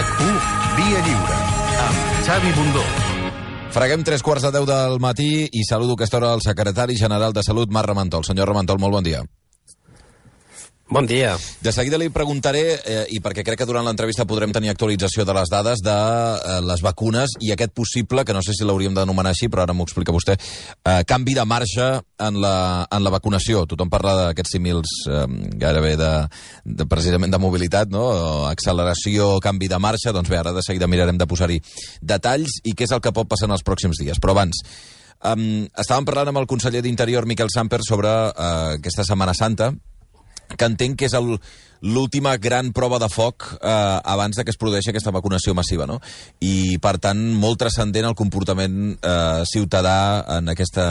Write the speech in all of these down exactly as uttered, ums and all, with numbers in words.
RAC u Via Lliure, amb Xavi Bundó. Freguem tres quarts de deu del matí i saludo a aquesta hora el secretari general de Salut, Marc Ramentol. Senyor Ramentol, molt bon dia. Bon dia. De seguida li preguntaré, eh, i perquè crec que durant l'entrevista podrem tenir actualització de les dades de eh, les vacunes i aquest possible, que no sé si l'hauríem d'anomenar així, però ara m'ho explica vostè, eh, canvi de marxa en la, en la vacunació. Tothom parla d'aquests símils eh, gairebé de, de, precisament de mobilitat, no? Acceleració, canvi de marxa. Doncs bé, ara de seguida mirarem de posar-hi detalls i què és el que pot passar en els pròxims dies. Però abans, um, estàvem parlant amb el conseller d'Interior, Miquel Samper, sobre uh, aquesta Setmana Santa, que entenc que és l'última gran prova de foc eh, abans de que es produeixi aquesta vacunació massiva, no? I, per tant, molt transcendent el comportament eh, ciutadà en aquesta,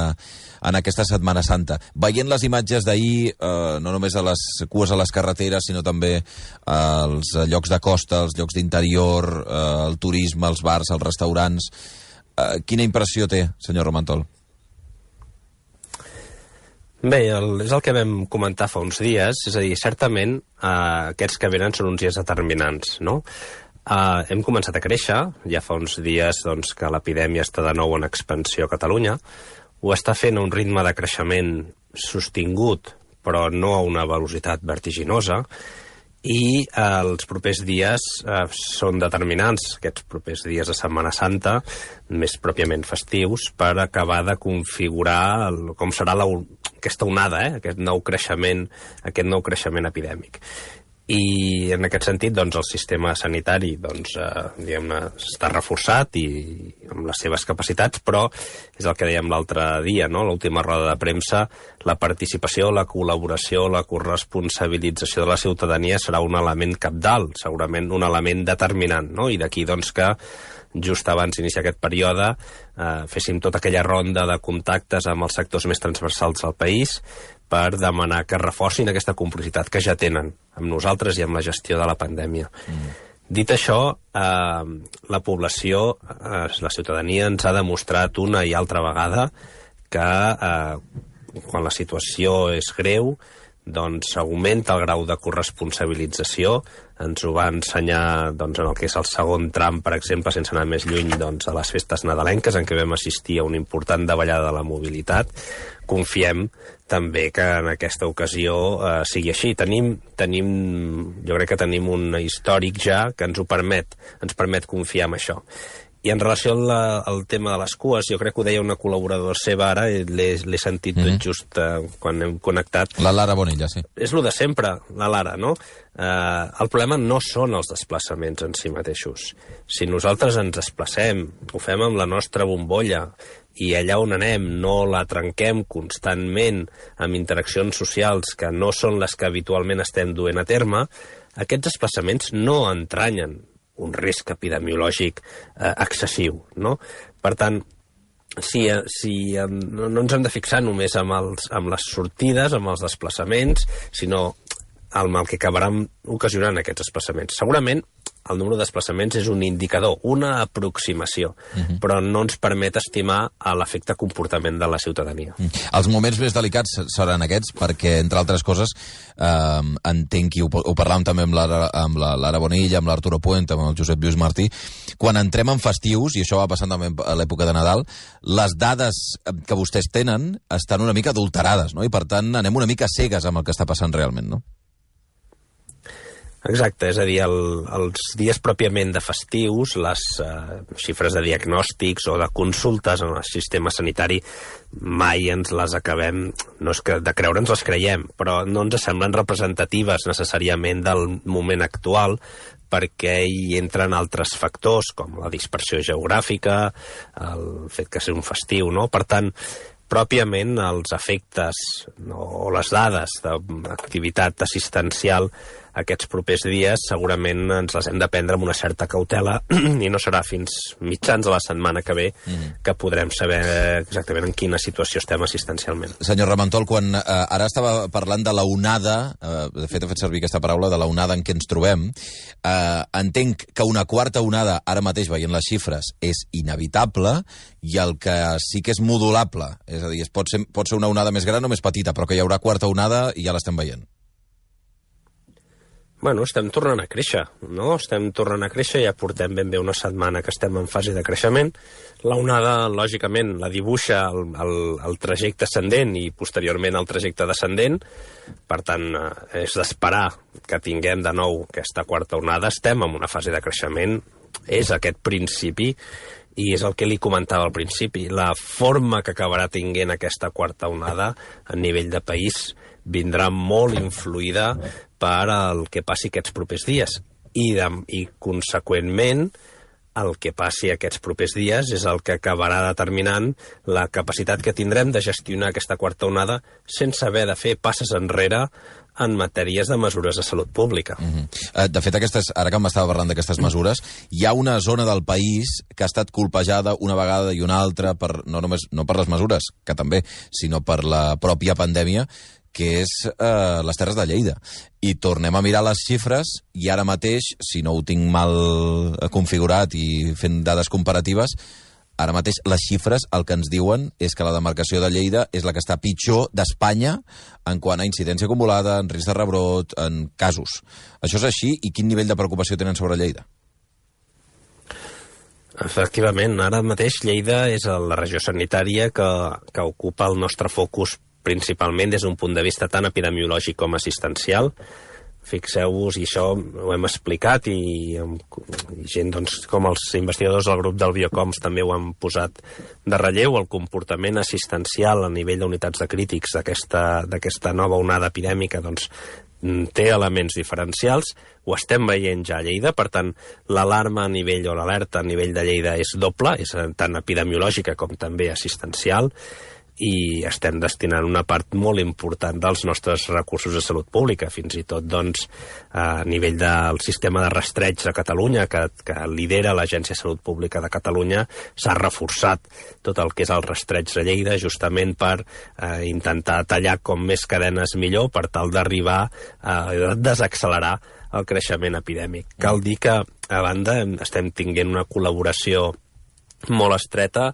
en aquesta Setmana Santa. Veient les imatges d'ahir, eh, no només a les cues a les carreteres, sinó també als llocs de costa, als llocs d'interior, eh, el turisme, els bars, els restaurants... Eh, quina impressió té, senyor Ramentol? Bé, el, és el que vam comentar fa uns dies, és a dir, certament eh, aquests que venen són uns dies determinants, no? Eh, hem començat a créixer, ja fa uns dies doncs, que l'epidèmia està de nou en expansió a Catalunya, ho està fent a un ritme de creixement sostingut, però no a una velocitat vertiginosa, i eh, els propers dies eh, són determinants, aquests propers dies de Setmana Santa, més pròpiament festius, per acabar de configurar el, com serà la, aquesta onada, eh, aquest nou creixement, aquest nou creixement epidèmic. I en aquest sentit, doncs, el sistema sanitari doncs, eh, diguem-ne, està reforçat i amb les seves capacitats, però és el que dèiem l'altre dia, no? L'última roda de premsa, la participació, la col·laboració, la corresponsabilització de la ciutadania serà un element cabdal, segurament un element determinant, no? I d'aquí, doncs, que just abans d'iniciar aquest període eh, féssim tota aquella ronda de contactes amb els sectors més transversals del país per demanar que reforcin aquesta complicitat que ja tenen amb nosaltres i amb la gestió de la pandèmia. Mm. Dit això, eh, la població, eh, la ciutadania ens ha demostrat una i altra vegada que eh, quan la situació és greu, doncs augmenta el grau de corresponsabilització. Ens ho va ensenyar doncs, en el que és el segon tram, per exemple, sense anar més lluny doncs, a les festes nadalenques, en què vam assistir a una important davallada de la mobilitat. Confiem també que en aquesta ocasió eh, sigui així. Tenim, tenim, jo crec que tenim un històric ja que ens ho permet, ens permet confiar en això. I en relació al, al tema de les cues, jo crec que ho deia una col·laboradora seva ara, l'he sentit mm -hmm. tot just eh, quan hem connectat. La Lara Bonilla, sí. És el de sempre, la Lara, no? Eh, el problema no són els desplaçaments en si mateixos. Si nosaltres ens desplacem, ho fem amb la nostra bombolla, i allà on anem no la trenquem constantment amb interaccions socials que no són les que habitualment estem duent a terme, aquests desplaçaments no entranyen un risc epidemiològic eh, excessiu, no? Per tant, si, si no, no ens hem de fixar només amb, els, amb les sortides, amb els desplaçaments, sinó amb el que acabaran ocasionant aquests desplaçaments. Segurament el número de desplaçaments és un indicador, una aproximació, uh-huh. però no ens permet estimar l'efecte comportament de la ciutadania. Uh-huh. Els moments més delicats seran aquests, perquè, entre altres coses, eh, entenc, i ho, ho parlàvem també amb la, amb la Lara Bonilla, amb l'Arturo Puente, amb el Josep Lluís Martí, quan entrem en festius, i això va passant també a l'època de Nadal, les dades que vostès tenen estan una mica adulterades, no? I per tant anem una mica cegues amb el que està passant realment, no? Exacte, és a dir, el, els dies pròpiament de festius, les eh, xifres de diagnòstics o de consultes en el sistema sanitari mai ens les acabem, no és que de creure ens les creiem, però no ens semblen representatives necessàriament del moment actual, perquè hi entren altres factors, com la dispersió geogràfica, el fet que sigui un festiu, no? Per tant, pròpiament els efectes no, o les dades d'activitat assistencial aquests propers dies segurament ens les hem de prendre amb una certa cautela i no serà fins mitjans de la setmana que ve mm. que podrem saber exactament en quina situació estem assistencialment. Senyor Ramentol, quan eh, ara estava parlant de la onada, eh, de fet he fet servir aquesta paraula, de la onada en què ens trobem, eh, entenc que una quarta onada, ara mateix veient les xifres, és inevitable, i el que sí que és modulable, és a dir, pot ser, pot ser una onada més gran o més petita, però que hi haurà quarta onada i ja l'estem veient. Bueno, estem tornant a créixer, no? Estem tornant a créixer, ja portem ben bé una setmana que estem en fase de creixement. La onada, lògicament, la dibuixa el, el, el trajecte ascendent i posteriorment el trajecte descendent. Per tant, és d'esperar que tinguem de nou aquesta quarta onada. Estem en una fase de creixement, és aquest principi, i és el que li comentava al principi. La forma que acabarà tinguent aquesta quarta onada a nivell de país vindrà molt influïda per el que passi aquests propers dies. I, de, i conseqüentment, el que passi aquests propers dies és el que acabarà determinant la capacitat que tindrem de gestionar aquesta quarta onada sense haver de fer passes enrere en matèries de mesures de salut pública. Mm-hmm. De fet, aquestes, ara que m'estava parlant d'aquestes mesures, hi ha una zona del país que ha estat colpejada una vegada i una altra, per, no només no per les mesures, que també, sinó per la pròpia pandèmia, que és eh, les Terres de Lleida. I tornem a mirar les xifres i ara mateix, si no ho tinc mal configurat i fent dades comparatives, ara mateix les xifres el que ens diuen és que la demarcació de Lleida és la que està pitjor d'Espanya en quant a incidència acumulada, en risc de rebrot, en casos. Això és així? I quin nivell de preocupació tenen sobre Lleida? Efectivament, ara mateix Lleida és la regió sanitària que, que ocupa el nostre focus principalment des d'un punt de vista tant epidemiològic com assistencial. Fixeu-vos, i això ho hem explicat, i, i gent doncs, com els investigadors del grup del Biocoms també ho han posat de relleu, el comportament assistencial a nivell d'unitats de crítics d'aquesta nova onada epidèmica doncs, té elements diferencials, ho estem veient ja a Lleida, per tant, l'alarma a nivell o l'alerta a nivell de Lleida és doble, és tant epidemiològica com també assistencial, i estem destinant una part molt important dels nostres recursos de salut pública, fins i tot doncs, a nivell del sistema de rastreig a Catalunya, que, que lidera l'Agència de Salut Pública de Catalunya, s'ha reforçat tot el que és el rastreig de Lleida, justament per eh, intentar tallar com més cadenes millor, per tal d'arribar a desaccelerar el creixement epidèmic. Cal dir que, a banda, estem tinguent una col·laboració molt estreta,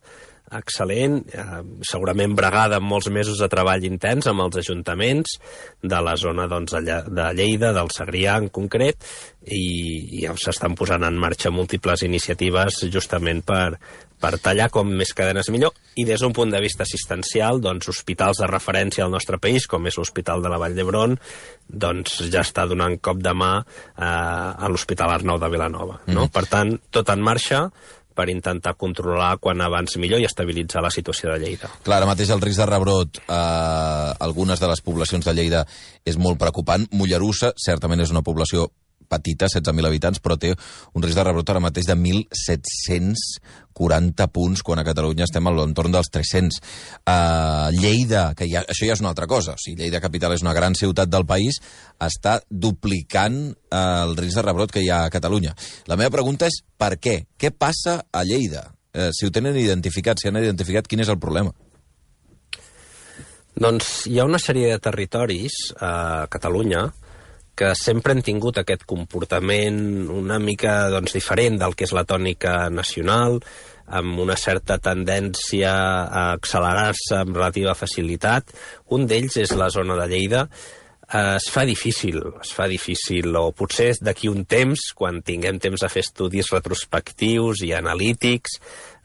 excel·lent, eh, segurament bregada amb molts mesos de treball intens amb els ajuntaments de la zona doncs, de Lleida, del Segrià en concret, i, i s'estan posant en marxa múltiples iniciatives justament per, per tallar com més cadenes millor. I des d'un punt de vista assistencial, doncs, hospitals de referència al nostre país, com és l'Hospital de la Vall d'Hebron, doncs ja està donant cop de mà eh, a l'Hospital Arnau de Vilanova. No? Mm. Per tant, tot en marxa per intentar controlar quan abans millor i estabilitzar la situació de Lleida. Clar, ara mateix el risc de rebrot a eh, algunes de les poblacions de Lleida és molt preocupant. Mollerussa certament és una població petita, setze mil habitants, però té un risc de rebrot ara mateix de mil set-cents quaranta punts, quan a Catalunya estem a l'entorn dels tres-cents. Uh, Lleida, que ja, això ja és una altra cosa, o sigui, Lleida capital és una gran ciutat del país, està duplicant uh, el risc de rebrot que hi ha a Catalunya. La meva pregunta és per què? Què passa a Lleida? Uh, si ho tenen identificat, si han identificat, quin és el problema? Doncs hi ha una sèrie de territoris a Catalunya que sempre han tingut aquest comportament una mica doncs, diferent del que és la tònica nacional, amb una certa tendència a accelerar-se amb relativa facilitat. Un d'ells és la zona de Lleida. Es fa difícil, es fa difícil, o potser d'aquí un temps, quan tinguem temps de fer estudis retrospectius i analítics,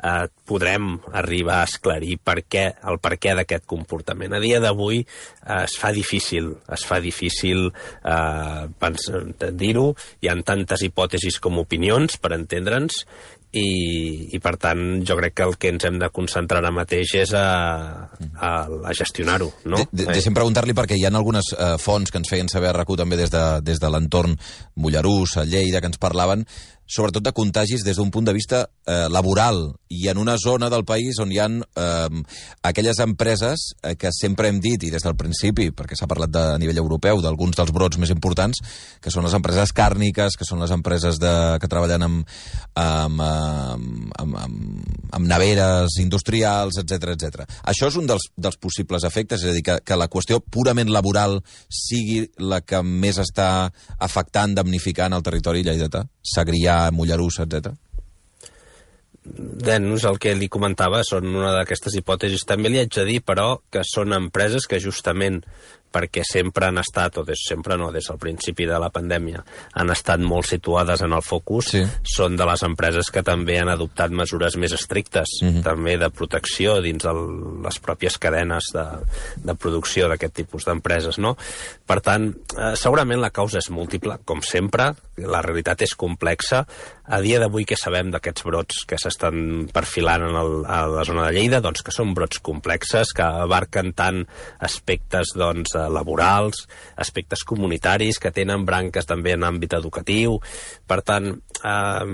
eh, podrem arribar a esclarir per què, el per què d'aquest comportament. A dia d'avui eh, es fa difícil, es fa difícil eh, dir-ho, hi ha tantes hipòtesis com opinions, per entendre'ns, i, i per tant jo crec que el que ens hem de concentrar ara mateix és a, a, a gestionar-ho, no? De, de, deixem preguntar-li, perquè hi ha algunes eh, fonts que ens feien saber a RAC u també des de, des de l'entorn Mollerús, a Lleida, que ens parlaven sobretot de contagis des d'un punt de vista eh, laboral, i en una zona del país on hi ha eh, aquelles empreses eh, que sempre hem dit, i des del principi, perquè s'ha parlat de, a nivell europeu, d'alguns dels brots més importants, que són les empreses càrniques, que són les empreses de, que treballen amb, amb, amb, amb, amb, amb neveres industrials, etcètera, etcètera. Això és un dels, dels possibles efectes, és a dir, que, que la qüestió purament laboral sigui la que més està afectant, damnificant el territori lleidatà, Segrià, Mollerús, etcètera? Doncs el que li comentava són una d'aquestes hipòtesis. També li haig de dir, però, que són empreses que justament perquè sempre han estat, o des, sempre no, des del principi de la pandèmia, han estat molt situades en el focus, sí. Són de les empreses que també han adoptat mesures més estrictes, mm-hmm. també de protecció dins de les pròpies cadenes de, de producció d'aquest tipus d'empreses, no? Per tant, eh, segurament la causa és múltiple, com sempre, la realitat és complexa. A dia d'avui, què sabem d'aquests brots que s'estan perfilant en el, a la zona de Lleida? Doncs que són brots complexes, que abarquen tant aspectes doncs, laborals, aspectes comunitaris, que tenen branques també en àmbit educatiu. Per tant, eh,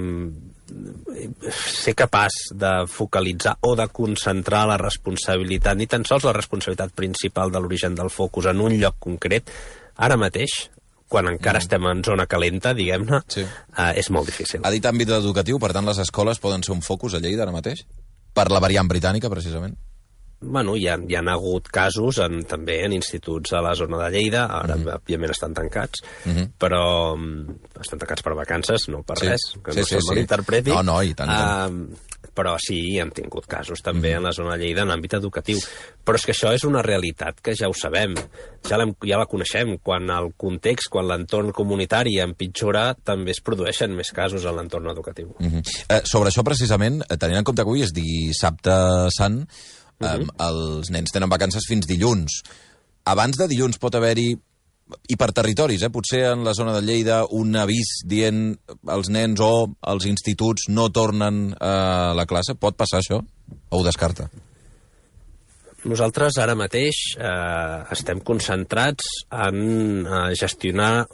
ser capaç de focalitzar o de concentrar la responsabilitat, ni tan sols la responsabilitat principal de l'origen del focus en un lloc concret, ara mateix, quan encara mm. estem en zona calenta, diguem-ne, sí. eh, és molt difícil. Ha dit àmbit educatiu, per tant, les escoles poden ser un focus a Lleida ara mateix? Per la variant britànica, precisament? Bueno, hi ha, hi ha hagut casos en, també en instituts a la zona de Lleida, ara mm -hmm. òbviament estan tancats, mm -hmm. però um, estan tancats per vacances, no per sí. res, que sí, no sí, se'l sí. malinterpreti. No, no, i tant, i tant. Uh, però sí, hem tingut casos també mm. en la zona de Lleida en àmbit educatiu. Però és que això és una realitat que ja ho sabem, ja, ja la coneixem. Quan el context, quan l'entorn comunitari empitjora, també es produeixen més casos en l'entorn educatiu. Mm -hmm. eh, sobre això, precisament, tenint en compte que avui és dissabte sant, Uh-huh. Um, els nens tenen vacances fins dilluns. Abans de dilluns pot haver-hi, i per territoris, eh, potser en la zona de Lleida, un avís dient els nens o els instituts no tornen a la classe? Pot passar això? O ho descarta? Nosaltres ara mateix eh, estem concentrats en eh, gestionar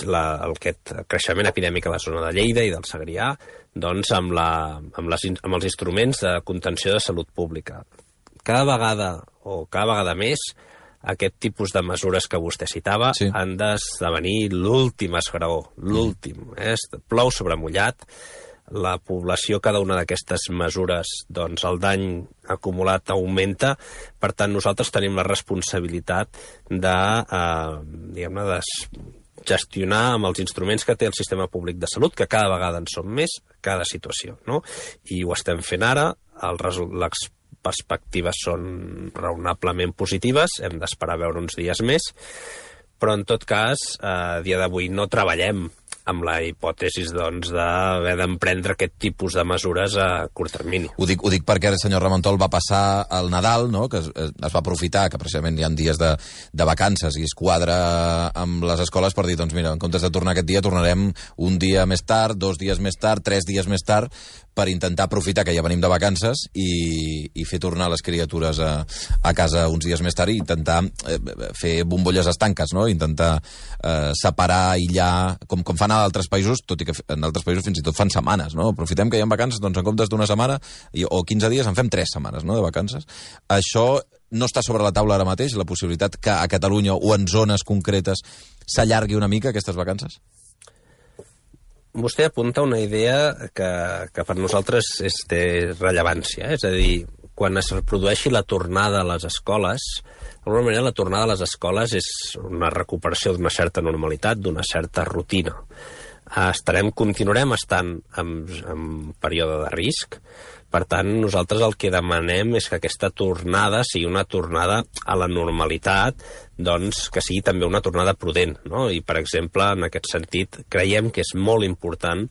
la, el, aquest creixement epidèmic a la zona de Lleida i del Segrià doncs, amb, la, amb, les, amb els instruments de contenció de salut pública. Cada vegada, o cada vegada més, aquest tipus de mesures que vostè citava sí. han d'esdevenir l'últim esgraó, l'últim. Mm. Eh? Plou sobre mullat. La població, cada una d'aquestes mesures, doncs el dany acumulat augmenta. Per tant, nosaltres tenim la responsabilitat de, eh, diguem-ne, de gestionar amb els instruments que té el sistema públic de salut, que cada vegada en són més, cada situació, no? I ho estem fent ara, el les perspectives són raonablement positives, hem d'esperar a veure uns dies més, però en tot cas, a dia d'avui no treballem amb la hipòtesi doncs, d'haver d'emprendre aquest tipus de mesures a curt termini. Ho dic, ho dic perquè el senyor Ramentol va passar el Nadal, no? Que es, es va aprofitar, que precisament hi ha dies de, de vacances i es quadra amb les escoles per dir, doncs mira, en comptes de tornar aquest dia, tornarem un dia més tard, dos dies més tard, tres dies més tard, per intentar aprofitar que ja venim de vacances i, i fer tornar les criatures a, a casa uns dies més tard i intentar eh, fer bombolles estanques, no? Intentar eh, separar, aïllar, com, com fan a d'altres països, tot i que en altres països fins i tot fan setmanes, no? Aprofitem que hi ha vacances, doncs en comptes d'una setmana i, o quinze dies en fem tres setmanes, no?, de vacances. Això no està sobre la taula ara mateix, la possibilitat que a Catalunya o en zones concretes s'allargui una mica aquestes vacances? Vostè apunta una idea que, que per nosaltres és de rellevància, eh? És a dir, quan es reprodueixi la tornada a les escoles, d'alguna manera la tornada a les escoles és una recuperació d'una certa normalitat, d'una certa rutina. Estarem, continuarem estant en, en període de risc. Per tant, nosaltres el que demanem és que aquesta tornada sigui una tornada a la normalitat, doncs que sigui també una tornada prudent, no? I, per exemple, en aquest sentit, creiem que és molt important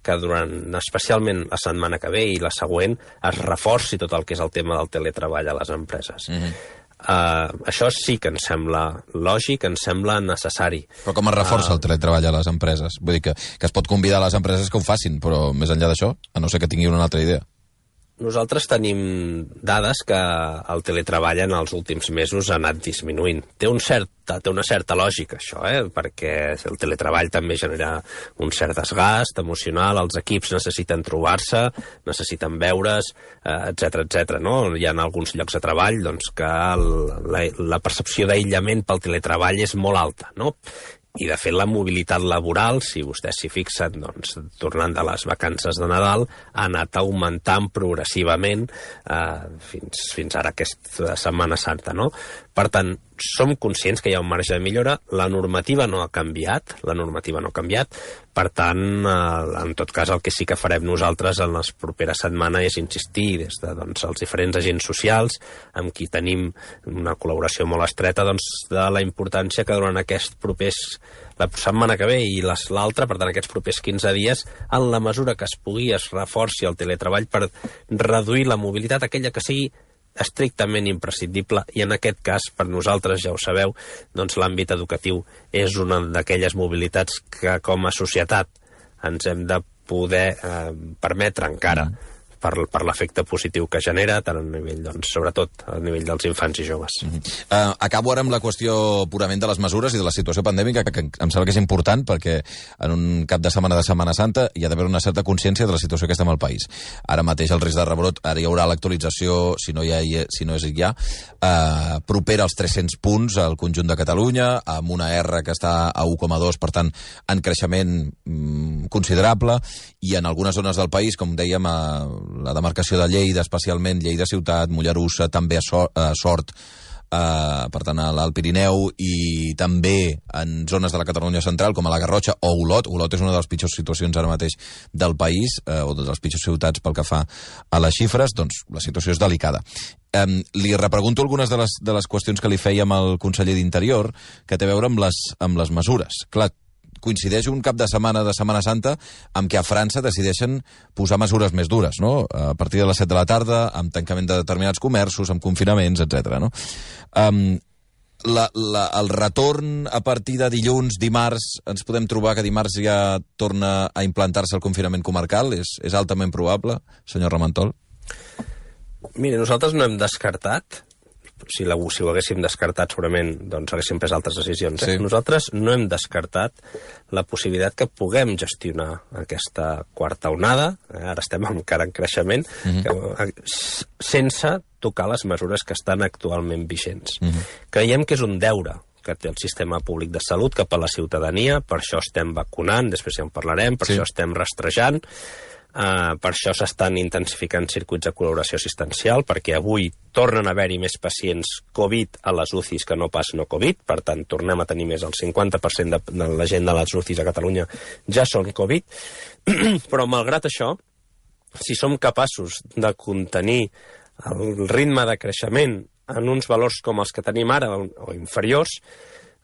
que durant, especialment la setmana que ve i la següent, es reforci tot el que és el tema del teletreball a les empreses. Mm-hmm. Uh, això sí que ens sembla lògic, ens sembla necessari. Però com es reforça uh, el teletreball a les empreses? Vull dir que, que es pot convidar a les empreses que ho facin, però més enllà d'això, a no ser que tinguin una altra idea. Nosaltres tenim dades que el teletreball en els últims mesos ha anat disminuint. Té, un cert, té una certa lògica, això, eh? Perquè el teletreball també genera un cert desgast emocional, els equips necessiten trobar-se, necessiten veure's, etcètera, etcètera, no? Hi ha alguns llocs de treball doncs, que el, la, la percepció d'aïllament pel teletreball és molt alta, no? I, de fet, la mobilitat laboral, si vostès s'hi fixen, doncs, tornant de les vacances de Nadal, ha anat augmentant progressivament eh, fins, fins ara aquesta Setmana Santa, no? Per tant, som conscients que hi ha un marge de millora, la normativa no ha canviat, la normativa no ha canviat, per tant, eh, en tot cas, el que sí que farem nosaltres en les properes setmanes és insistir des de doncs, els diferents agents socials amb qui tenim una col·laboració molt estreta doncs, de la importància que durant aquests propers la setmana que ve i l'altra, per tant, aquests propers quinze dies, en la mesura que es pugui, es reforci el teletreball per reduir la mobilitat, aquella que sigui estrictament imprescindible, i en aquest cas, per nosaltres, ja ho sabeu, doncs l'àmbit educatiu és una d'aquelles mobilitats que com a societat ens hem de poder eh, permetre encara mm. per, per l'efecte positiu que genera, tant a nivell, doncs, sobretot a nivell dels infants i joves. Mm -hmm. uh, acabo ara amb la qüestió purament de les mesures i de la situació pandèmica, que, que em sembla que és important, perquè en un cap de setmana de Setmana Santa hi ha d'haver una certa consciència de la situació que estem al país. Ara mateix el risc de rebrot, ara hi haurà l'actualització, si no hi ha, si no és ja, uh, propera als tres-cents punts al conjunt de Catalunya, amb una R que està a u coma dos, per tant, en creixement mm, considerable, i en algunes zones del país, com dèiem, a la demarcació de Lleida, especialment Lleida Ciutat, Mollerussa, també a, so a Sort, uh, per tant, a l'Alt Pirineu, i també en zones de la Catalunya central, com a la Garrotxa o Olot. Olot és una de les pitjors situacions ara mateix del país, uh, o de les pitjors ciutats pel que fa a les xifres, doncs la situació és delicada. Um, li repregunto algunes de les, de les qüestions que li fèiem al conseller d'Interior, que té a veure amb les, amb les mesures. Clar, coincideix un cap de setmana de Setmana Santa amb què a França decideixen posar mesures més dures, no? A partir de les set de la tarda, amb tancament de determinats comerços, amb confinaments, etcètera, no? Um, la, la, el retorn a partir de dilluns, dimarts, ens podem trobar que dimarts ja torna a implantar-se el confinament comarcal? És, és altament probable, senyor Ramentol? Mire, nosaltres no hem descartat, si, la, si ho haguéssim descartat segurament doncs haguéssim pres altres decisions. Eh? Sí. Nosaltres no hem descartat la possibilitat que puguem gestionar aquesta quarta onada, eh? Ara estem encara en creixement, mm-hmm. que, sense tocar les mesures que estan actualment vigents. Mm-hmm. Creiem que és un deure que té el sistema públic de salut cap a la ciutadania, per això estem vacunant, després ja en parlarem, per sí. això estem rastrejant. Uh, per això s'estan intensificant circuits de col·laboració assistencial, perquè avui tornen a haver-hi més pacients Covid a les U C Is que no pas no Covid, per tant tornem a tenir més el cinquanta per cent de, de la gent de les U C Is a Catalunya ja són Covid, però malgrat això, si som capaços de contenir el ritme de creixement en uns valors com els que tenim ara o inferiors,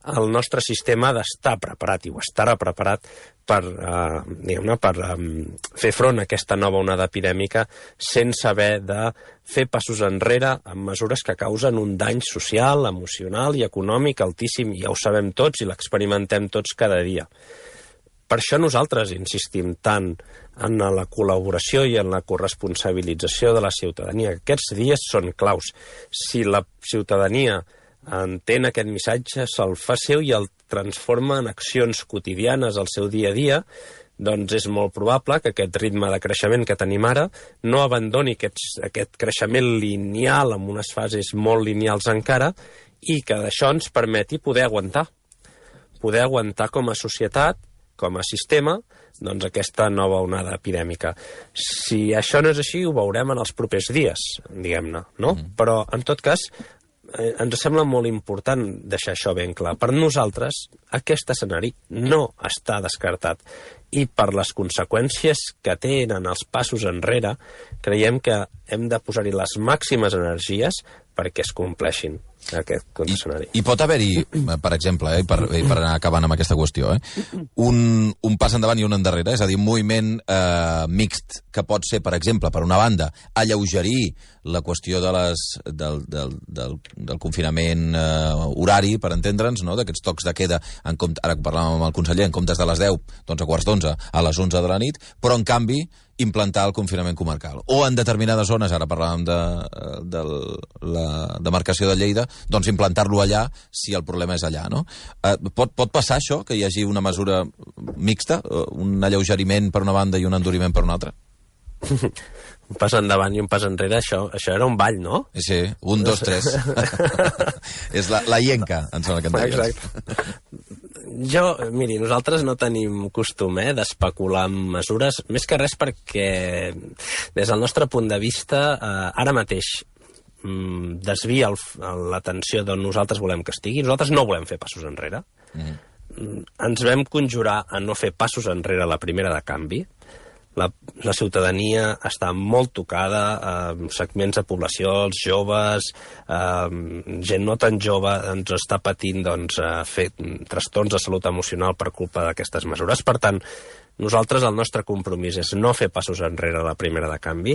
el nostre sistema ha d'estar preparat, i ho estarà preparat per, eh, diguem-ne, per um, fer front a aquesta nova onada epidèmica sense haver de fer passos enrere amb mesures que causen un dany social, emocional i econòmic altíssim, i ja ho sabem tots i l'experimentem tots cada dia. Per això nosaltres insistim tant en la col·laboració i en la corresponsabilització de la ciutadania. Aquests dies són claus. Si la ciutadania entén aquest missatge, se'l fa seu i el transforma en accions quotidianes al seu dia a dia, doncs és molt probable que aquest ritme de creixement que tenim ara no abandoni aquests, aquest creixement lineal amb unes fases molt lineals encara, i que d'això ens permeti poder aguantar. Poder aguantar com a societat, com a sistema, doncs aquesta nova onada epidèmica. Si això no és així, ho veurem en els propers dies, diguem-ne, no? Mm. Però, en tot cas, eh, ens sembla molt important deixar això ben clar. Per nosaltres, aquest escenari no està descartat. I per les conseqüències que tenen els passos enrere, creiem que hem de posar-hi les màximes energies perquè es compleixin aquest escenari. I, i pot haver-hi, per exemple, eh, per, per anar acabant amb aquesta qüestió, eh, un, un pas endavant i un endarrere, és a dir, un moviment eh, mixt, que pot ser, per exemple, per una banda, alleugerir la qüestió de les, del, del, del, del confinament eh, horari, per entendre'ns, no? D'aquests tocs de queda, en compte, ara que parlàvem amb el conseller, en comptes de les deu, doncs a quarts d'onze, a les onze de la nit, però en canvi implantar el confinament comarcal. O en determinades zones, ara parlàvem de, de la demarcació de Lleida, doncs implantar-lo allà si el problema és allà, no? Eh, pot, pot passar això, que hi hagi una mesura mixta, un alleugeriment per una banda i un enduriment per una altra? Un pas endavant i un pas enrere, això, això era un ball, no? Sí, un, dos, tres. És la, la llenca, em sembla que en deies. Exacte. Jo, miri, nosaltres no tenim costum eh, d'especular amb mesures, més que res perquè, des del nostre punt de vista, eh, ara mateix, mm, desvia l'atenció d'on nosaltres volem que estigui. Nosaltres no volem fer passos enrere. Mm-hmm. Ens vam conjurar a no fer passos enrere a la primera de canvi. La, la ciutadania està molt tocada, eh, segments de població, els joves, eh, gent no tan jove ens està patint doncs, eh, fer trastorns de salut emocional per culpa d'aquestes mesures. Per tant, nosaltres el nostre compromís és no fer passos enrere a la primera de canvi,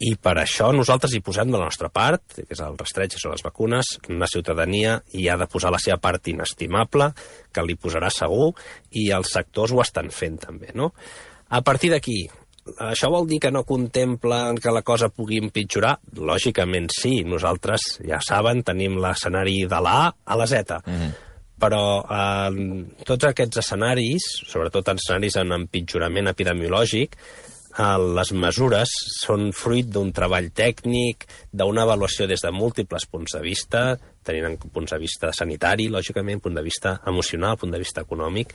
i per això nosaltres hi posem de la nostra part, que és el rastreig, són les vacunes. La ciutadania hi ha de posar la seva part inestimable, que li posarà segur, i els sectors ho estan fent també, no? A partir d'aquí, això vol dir que no contemplen que la cosa pugui empitjorar? Lògicament sí, nosaltres, ja saben, tenim l'escenari de la A a la Z. Mm-hmm. Però eh, tots aquests escenaris, sobretot escenaris en empitjorament epidemiològic, les mesures són fruit d'un treball tècnic, d'una avaluació des de múltiples punts de vista, tenint en punts de vista sanitari, lògicament, punt de vista emocional, punt de vista econòmic,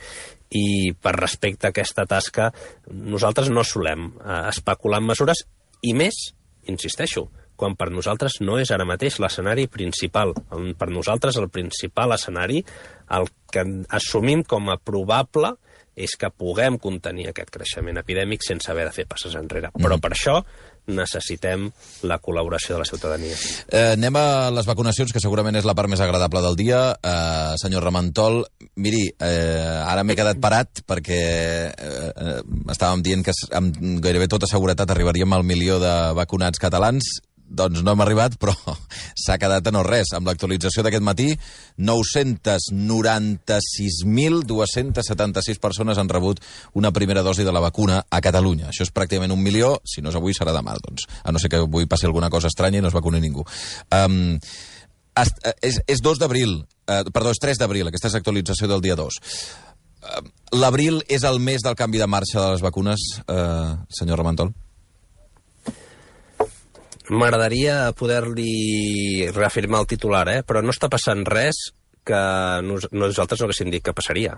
i per respecte a aquesta tasca nosaltres no solem eh, especular en mesures, i més, insisteixo, quan per nosaltres no és ara mateix l'escenari principal. Per nosaltres el principal escenari, el que assumim com a probable, és que puguem contenir aquest creixement epidèmic sense haver de fer passes enrere. Però per això necessitem la col·laboració de la ciutadania. Eh, anem a les vacunacions, que segurament és la part més agradable del dia. Eh, senyor Ramentol, miri, eh, ara m'he quedat parat perquè eh, estàvem dient que amb gairebé tota seguretat arribaríem al milió de vacunats catalans. Doncs no hem arribat, però s'ha quedat a no res. Amb l'actualització d'aquest matí, nou-cents noranta-sis mil dos-cents setanta-sis persones han rebut una primera dosi de la vacuna a Catalunya. Això és pràcticament un milió, si no és avui serà demà, doncs. A no ser que avui passi alguna cosa estranya i no es vacuni ningú. Um, és, és dos d'abril, uh, perdó, és tres d'abril, aquesta és l'actualització del dia dos. Uh, L'abril és el mes del canvi de marxa de les vacunes, uh, senyor Ramentol? M'agradaria poder-li reafirmar el titular, eh? Però no està passant res que nos, nosaltres no haguéssim dit que passaria.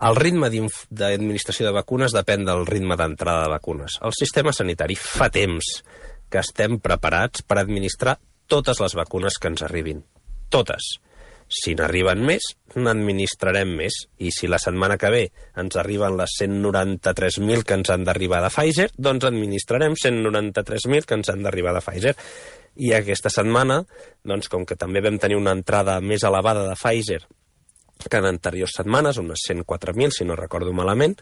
El ritme d'administració de vacunes depèn del ritme d'entrada de vacunes. El sistema sanitari fa temps que estem preparats per administrar totes les vacunes que ens arribin. Totes. Si n'arriben més, n'administrarem més. I si la setmana que ve ens arriben les cent noranta-tres mil que ens han d'arribar de Pfizer, doncs administrarem cent noranta-tres mil que ens han d'arribar de Pfizer. I aquesta setmana, doncs, com que també vam tenir una entrada més elevada de Pfizer que en anteriors setmanes, unes cent quatre mil, si no recordo malament,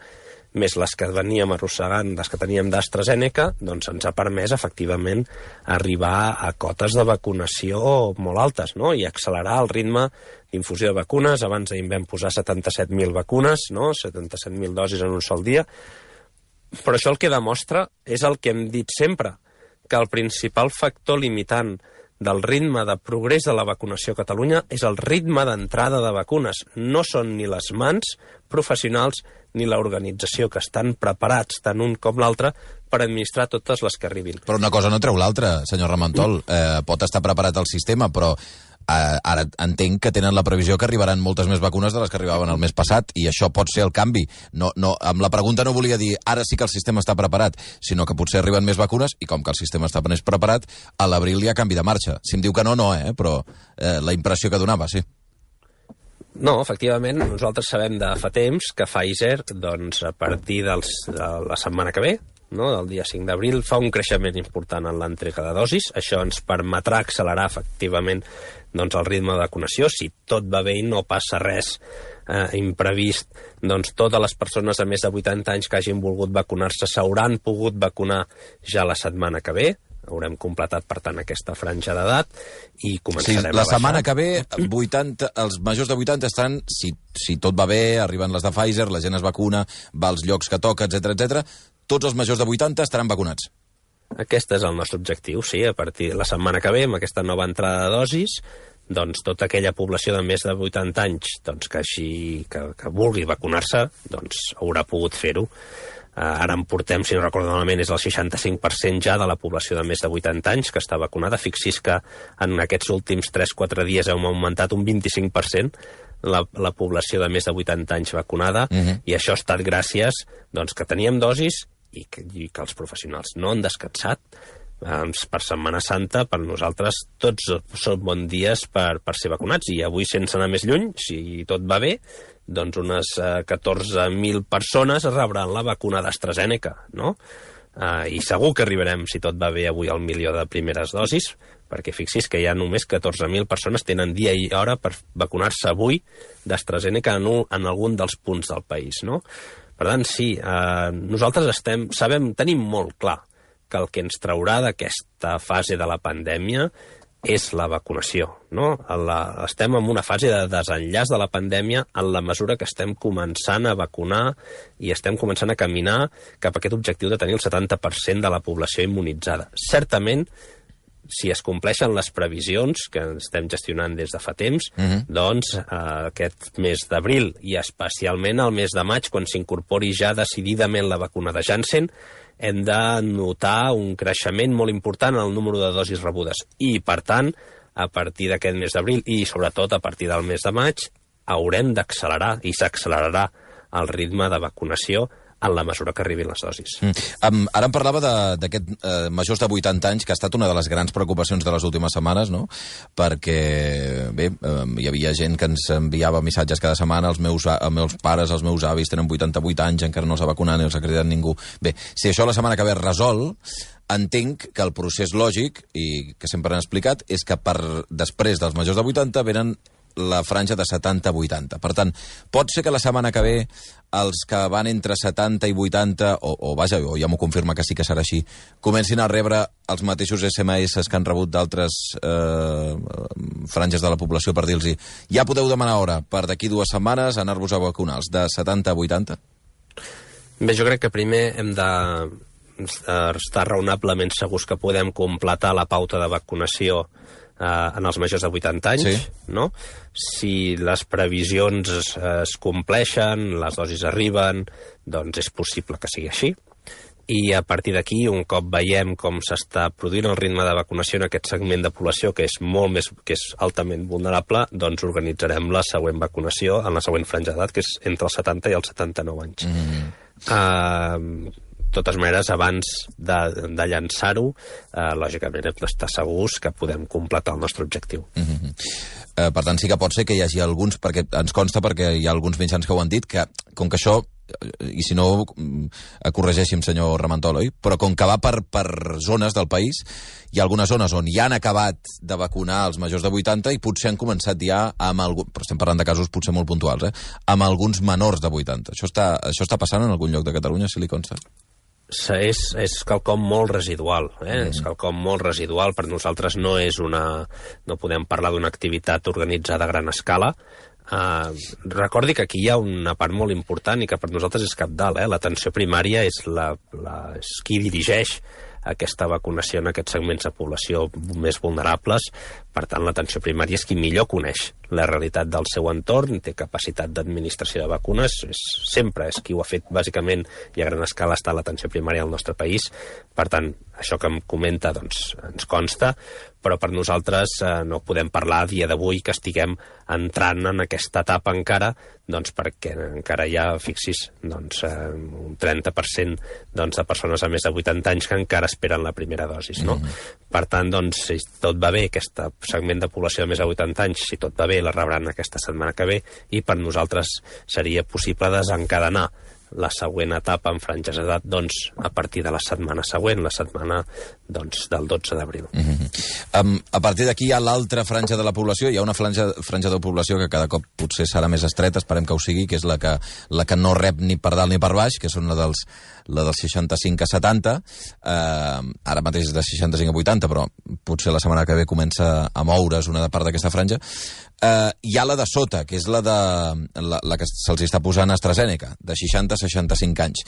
més les que veníem arrossegant, les que teníem d'AstraZeneca, doncs ens ha permès, efectivament, arribar a cotes de vacunació molt altes, no? I accelerar el ritme d'infusió de vacunes. Abans ahir vam posar setanta-set mil vacunes, no? setanta-set mil dosis en un sol dia. Però això el que demostra és el que hem dit sempre, que el principal factor limitant del ritme de progrés de la vacunació a Catalunya és el ritme d'entrada de vacunes. No són ni les mans professionals ni l'organització, que estan preparats tant un com l'altre per administrar totes les que arribin. Però una cosa no treu l'altra, senyor Ramentol. Eh, pot estar preparat el sistema, però eh, ara entenc que tenen la previsió que arribaran moltes més vacunes de les que arribaven el mes passat, i això pot ser el canvi. No, no, amb la pregunta no volia dir ara sí que el sistema està preparat, sinó que potser arriben més vacunes, i com que el sistema està més preparat, a l'abril hi ha canvi de marxa. Si em diu que no, no, eh? Però eh, la impressió que donava, sí. No, efectivament, nosaltres sabem de fa temps que Pfizer, doncs, a partir dels, de la setmana que ve, no, del dia cinc d'abril, fa un creixement important en l'entrega de dosis. Això ens permetrà accelerar, efectivament, doncs, el ritme de vacunació. Si tot va bé i no passa res eh, imprevist, doncs totes les persones de més de vuitanta anys que hagin volgut vacunar-se s'hauran pogut vacunar ja la setmana que ve. Haurem completat, per tant, aquesta franja d'edat i començarem sí, la a baixar. setmana que ve, vuitanta, els majors de vuitanta estan, si, si tot va bé, arriben les de Pfizer, la gent es vacuna, va als llocs que toca, etcètera, etcètera. Tots els majors de vuitanta estaran vacunats. Aquest és el nostre objectiu, sí. A partir de la setmana que ve, amb aquesta nova entrada de dosis, doncs tota aquella població de més de vuitanta anys doncs, que, així, que, que vulgui vacunar-se, doncs haurà pogut fer-ho. Ara en portem, si no recordo malament, és el seixanta-cinc per cent ja de la població de més de vuitanta anys que està vacunada. Fixis que en aquests últims tres quatre dies hem augmentat un vint-i-cinc per cent la, la població de més de vuitanta anys vacunada, uh-huh. i això ha estat gràcies doncs, que teníem dosis i que, i que els professionals no han descansat per Setmana Santa, per nosaltres tots són bons dies per, per ser vacunats, i avui, sense anar més lluny, si tot va bé, doncs unes eh, catorze mil persones rebran la vacuna d'AstraZeneca, no? Eh, I segur que arribarem, si tot va bé, avui al milió de primeres dosis, perquè fixis que hi ha només catorze mil persones tenen dia i hora per vacunar-se avui d'AstraZeneca en, un, en algun dels punts del país, no? Per tant, sí, eh, nosaltres estem, sabem, tenim molt clar que el que ens traurà d'aquesta fase de la pandèmia és la vacunació, no? La, estem en una fase de desenllaç de la pandèmia en la mesura que estem començant a vacunar i estem començant a caminar cap a aquest objectiu de tenir el setanta per cent de la població immunitzada. Certament, si es compleixen les previsions que estem gestionant des de fa temps, uh-huh. doncs eh, aquest mes d'abril i especialment el mes de maig, quan s'incorpori ja decididament la vacuna de Janssen, hem de notar un creixement molt important en el número de dosis rebudes. I, per tant, a partir d'aquest mes d'abril i, sobretot, a partir del mes de maig, haurem d'accelerar i s'accelerarà el ritme de vacunació en la mesura que arribin les dosis. Mm. Um, ara em parlava d'aquest eh, majors de vuitanta anys, que ha estat una de les grans preocupacions de les últimes setmanes, no? Perquè, bé, eh, hi havia gent que ens enviava missatges cada setmana, els meus, els meus pares, els meus avis tenen vuitanta-vuit anys, encara no els ha vacunat ni els ha cridat ningú. Bé, si això la setmana que ve es resol, entenc que el procés lògic, i que sempre han explicat, és que per després dels majors de vuitanta venen la franja de setanta a vuitanta. Per tant, pot ser que la setmana que ve els que van entre setanta i vuitanta, o, o vaja, o ja m'ho confirma que sí que serà així, comencin a rebre els mateixos esse eme esse que han rebut d'altres eh, franges de la població per dir-los ja podeu demanar hora per d'aquí dues setmanes anar-vos a vacunar, els de setanta a vuitanta? Bé, jo crec que primer hem de estar raonablement segurs que podem completar la pauta de vacunació Uh, en els majors de vuitanta anys, sí. No? Si les previsions es, es compleixen, les dosis arriben, doncs és possible que sigui així. I a partir d'aquí, un cop veiem com s'està produint el ritme de vacunació en aquest segment de població, que és molt més, que és altament vulnerable, doncs organitzarem la següent vacunació en la següent franja d'edat, que és entre els setanta i els setanta-nou anys. Mm-hmm. Uh, De totes maneres, abans de, de llançar-ho, eh, lògicament hem d'estar segurs que podem completar el nostre objectiu. Mm-hmm. eh, per tant, sí que pot ser que hi hagi alguns, perquè ens consta, perquè hi ha alguns mitjans que ho han dit, que com que això, i si no, corregeixi'm, senyor Ramentol, oi? Però com que va per, per zones del país, hi ha algunes zones on ja han acabat de vacunar els majors de vuitanta i potser han començat ja amb algun, però estem parlant de casos potser molt puntuals, eh? Amb alguns menors de vuitanta. Això està, això està passant en algun lloc de Catalunya, si li consta? És, és quelcom molt residual, eh? Mm. És quelcom molt residual. Per nosaltres no és una... no podem parlar d'una activitat organitzada a gran escala. Uh, recordi que aquí hi ha una part molt important i que per nosaltres és cabdal, eh? L'atenció primària és, la, la, és qui dirigeix aquesta vacunació en aquests segments de població més vulnerables. Per tant, l'atenció primària és qui millor coneix la realitat del seu entorn, té capacitat d'administració de vacunes, és, sempre és qui ho ha fet, bàsicament, i a gran escala està l'atenció primària al nostre país. Per tant, això que em comenta doncs, ens consta, però per nosaltres eh, no podem parlar a dia d'avui que estiguem entrant en aquesta etapa encara, doncs perquè encara hi ha, fixis, doncs, eh, un trenta per cent doncs, de persones a més de vuitanta anys que encara esperen la primera dosis, no? Mm-hmm. Per tant, doncs, si tot va bé, aquest segment de població de més de vuitanta anys, si tot va bé, la rebran aquesta setmana que ve, i per nosaltres seria possible desencadenar la següent etapa en franges d'edat, doncs, a partir de la setmana següent, la setmana doncs, del dotze d'abril. Mm-hmm. um, a partir d'aquí hi ha l'altra franja de la població, hi ha una franja, franja de població que cada cop potser serà més estreta, esperem que ho sigui, que és la que, la que no rep ni per dalt ni per baix, que són la dels, la dels seixanta-cinc a setanta, uh, ara mateix és de seixanta-cinc a vuitanta, però potser la setmana que ve comença a moure's una part d'aquesta franja. Uh, hi ha la de sota, que és la, de, la, la que se'ls està posant AstraZeneca, de seixanta a seixanta-cinc anys.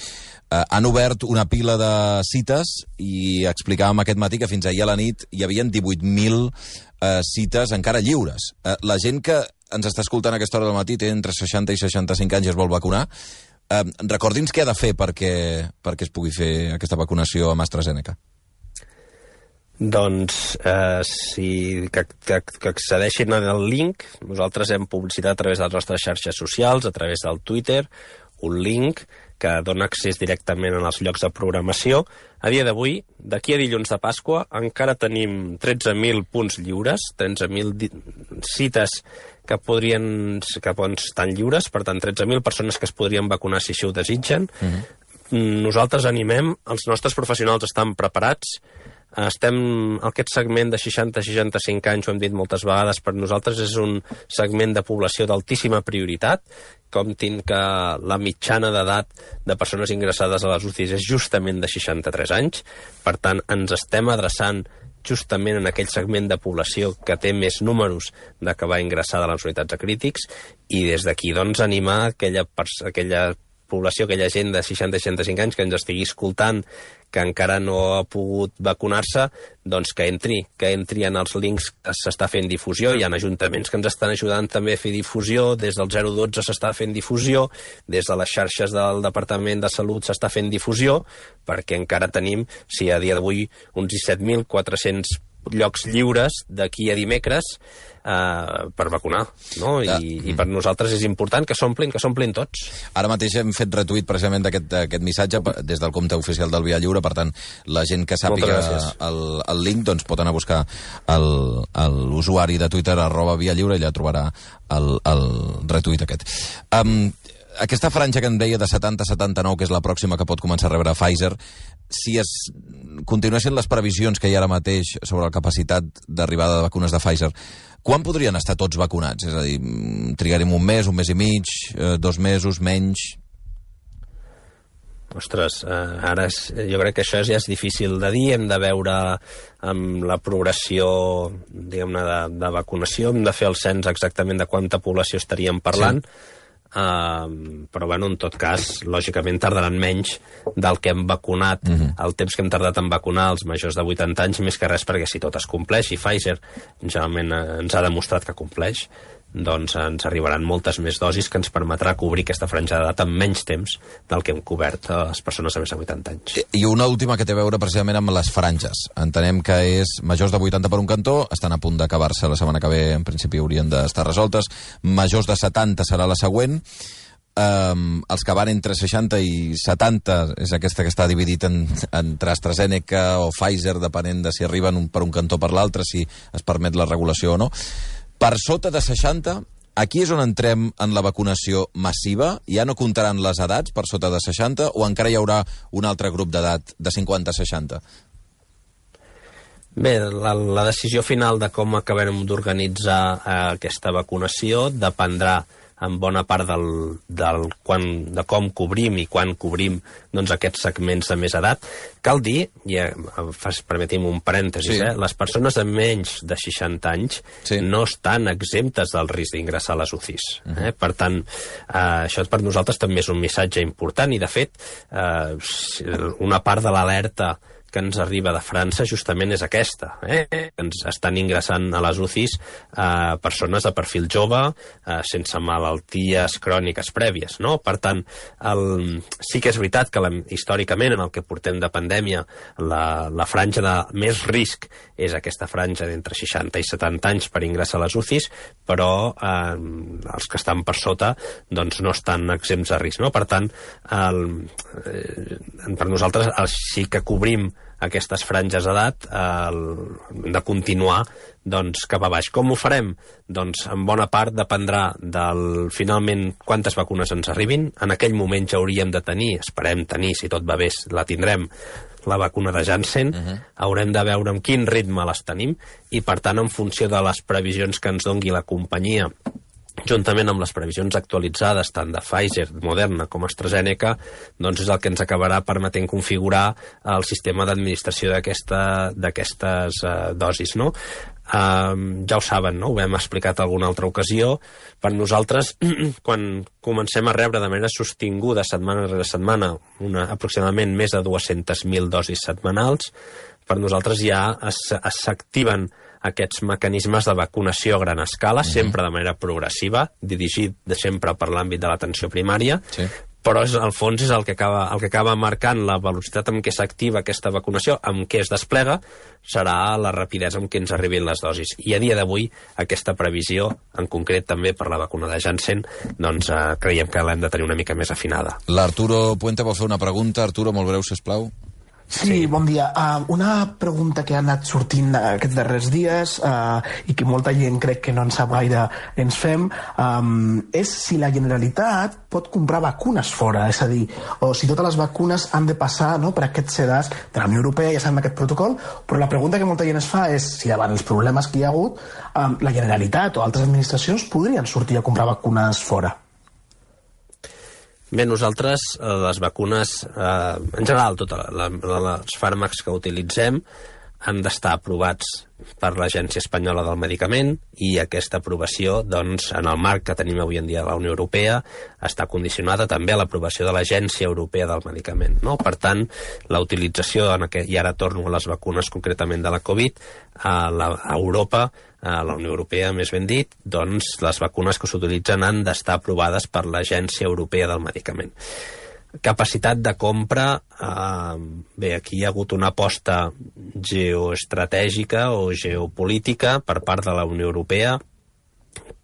Uh, han obert una pila de cites i explicàvem aquest matí que fins ahir a la nit hi havia divuit mil uh, cites encara lliures. Uh, la gent que ens està escoltant a aquesta hora del matí té entre seixanta i seixanta-cinc anys i es vol vacunar. Uh, recordi'ns què ha de fer perquè, perquè es pugui fer aquesta vacunació amb AstraZeneca. Doncs eh, si que, que, que accedeixin al link, nosaltres hem publicitat a través de les nostres xarxes socials, a través del Twitter, un link que dona accés directament als llocs de programació. A dia d'avui, d'aquí a dilluns de Pasqua, encara tenim tretze mil punts lliures, tretze mil cites que podrien que poden estar lliures, per tant, tretze mil persones que es podrien vacunar si així ho desitgen. Uh-huh. Nosaltres animem, els nostres professionals estan preparats. Estem, aquest segment de seixanta a seixanta-cinc anys, ho hem dit moltes vegades, per nosaltres és un segment de població d'altíssima prioritat. Comptin que la mitjana d'edat de persones ingressades a les U C Is és justament de seixanta-tres anys. Per tant, ens estem adreçant justament en aquell segment de població que té més números d'acabar ingressada a les unitats de crítics, i des d'aquí, doncs, animar aquella, aquella població, aquella gent de seixanta a seixanta-cinc anys que ens estigui escoltant, que encara no ha pogut vacunar-se, doncs que entri, que entri en els links que s'està fent difusió. Hi ha ajuntaments que ens estan ajudant també a fer difusió, des del zero dotze s'està fent difusió, des de les xarxes del Departament de Salut s'està fent difusió, perquè encara tenim, si a dia d'avui, uns disset mil quatre-cents llocs lliures d'aquí a dimecres eh, per vacunar, no? I, ja. I per nosaltres és important que s'omplin, que s'omplin tots. Ara mateix hem fet retuit precisament d'aquest missatge des del compte oficial del Via Lliure, per tant, la gent que sàpiga el, el link doncs pot anar a buscar l'usuari de Twitter arroba Via Lliure i ja trobarà el, el retuit aquest. Um, aquesta franja que em deia de setanta a setanta-nou, que és la pròxima que pot començar a rebre Pfizer, si es continuessin les previsions que hi ha ara mateix sobre la capacitat d'arribada de vacunes de Pfizer, quan podrien estar tots vacunats? És a dir, trigarem un mes, un mes i mig, eh, dos mesos, menys? Ostres, eh, ara és, jo crec que això ja és difícil de dir. Hem de veure amb la progressió, diguem-ne, de, de vacunació, hem de fer el cens exactament de quanta població estaríem parlant. Sí. Uh, però bueno, en tot cas, lògicament tardaran menys del que hem vacunat, uh-huh. el temps que hem tardat en vacunar els majors de vuitanta anys, més que res perquè si tot es compleix, i Pfizer generalment uh, ens ha demostrat que compleix, doncs ens arribaran moltes més dosis que ens permetrà cobrir aquesta franja d'edat en menys temps del que hem cobert a les persones de més de vuitanta anys. I una última que té a veure precisament amb les franges. Entenem que és majors de vuitanta per un cantó, estan a punt d'acabar-se la setmana que ve, en principi haurien d'estar resoltes. Majors de setanta serà la següent. Um, els que van entre seixanta i setanta és aquesta que està dividit en, entre AstraZeneca o Pfizer, depenent de si arriben un, per un cantó o per l'altre, si es permet la regulació o no. Per sota de seixanta, aquí és on entrem en la vacunació massiva? Ja no comptaran les edats per sota de seixanta o encara hi haurà un altre grup d'edat de cinquanta a seixanta? Bé, la, la decisió final de com acabarem d'organitzar eh, aquesta vacunació dependrà en bona part del, del quan, de com cobrim i quan cobrim doncs, aquests segments de més edat. Cal dir, i eh, permetim un parèntesis, sí. eh, les persones de menys de seixanta anys sí. no estan exemptes del risc d'ingressar a les U C Is. Uh -huh. eh? Per tant, eh, això per nosaltres també és un missatge important i, de fet, eh, una part de l'alerta que ens arriba de França justament és aquesta. Eh? Ens estan ingressant a les U C Is eh, persones de perfil jove, eh, sense malalties cròniques prèvies. No? Per tant, el... sí que és veritat que la, històricament, en el que portem de pandèmia, la, la franja de més risc és aquesta franja d'entre seixanta i setanta anys per ingressar a les U C Is, però eh, els que estan per sota doncs, no estan exempts de risc. No? Per tant, el, eh, per nosaltres el, sí que cobrim aquestes franges d'edat eh, de continuar doncs, cap a baix. Com ho farem? Doncs en bona part dependrà del finalment quantes vacunes ens arribin. En aquell moment ja hauríem de tenir, esperem tenir, si tot va bé, la tindrem, la vacuna de Janssen. Uh-huh. Haurem de veure amb quin ritme les tenim i, per tant, en funció de les previsions que ens dongui la companyia, juntament amb les previsions actualitzades tant de Pfizer, Moderna com AstraZeneca, doncs és el que ens acabarà permetent configurar el sistema d'administració d'aquestes uh, dosis, no? Uh, ja ho saben, no? Ho hem explicat en alguna altra ocasió. Per nosaltres, quan comencem a rebre de manera sostinguda setmana rere setmana una, aproximadament més de dues-centes mil dosis setmanals, per nosaltres ja s'activen aquests mecanismes de vacunació a gran escala, uh-huh. sempre de manera progressiva, dirigit de sempre per l'àmbit de l'atenció primària, sí. però és, al fons és el que acaba, el que acaba marcant la velocitat amb què s'activa aquesta vacunació, amb què es desplega, serà la rapidesa amb què ens arribin les dosis. I a dia d'avui, aquesta previsió, en concret també per la vacuna de Janssen, doncs eh, creiem que l'hem de tenir una mica més afinada. L'Arturo Puente vol fer una pregunta. Arturo, molt breu, sisplau. Sí, sí, bon dia. Uh, una pregunta que ha anat sortint aquests darrers dies uh, i que molta gent crec que no en sap gaire ens fem um, és si la Generalitat pot comprar vacunes fora, és a dir, o si totes les vacunes han de passar, no, per aquests sedars de la Unió Europea, ja sabem aquest protocol, però la pregunta que molta gent es fa és si davant els problemes que hi ha hagut um, la Generalitat o altres administracions podrien sortir a comprar vacunes fora. Bé, nosaltres, les vacunes, eh, en general, tots els fàrmacs que utilitzem han d'estar aprovats per l'Agència Espanyola del Medicament i aquesta aprovació, doncs, en el marc que tenim avui en dia a la Unió Europea, està condicionada també a l'aprovació de l'Agència Europea del Medicament, no? Per tant, la utilització, en aquest, i ara torno a les vacunes concretament de la Covid, a, la, a Europa, a la Unió Europea, més ben dit, doncs les vacunes que s'utilitzen han d'estar aprovades per l'Agència Europea del Medicament. Capacitat de compra, eh, bé, aquí hi ha hagut una aposta geoestratègica o geopolítica per part de la Unió Europea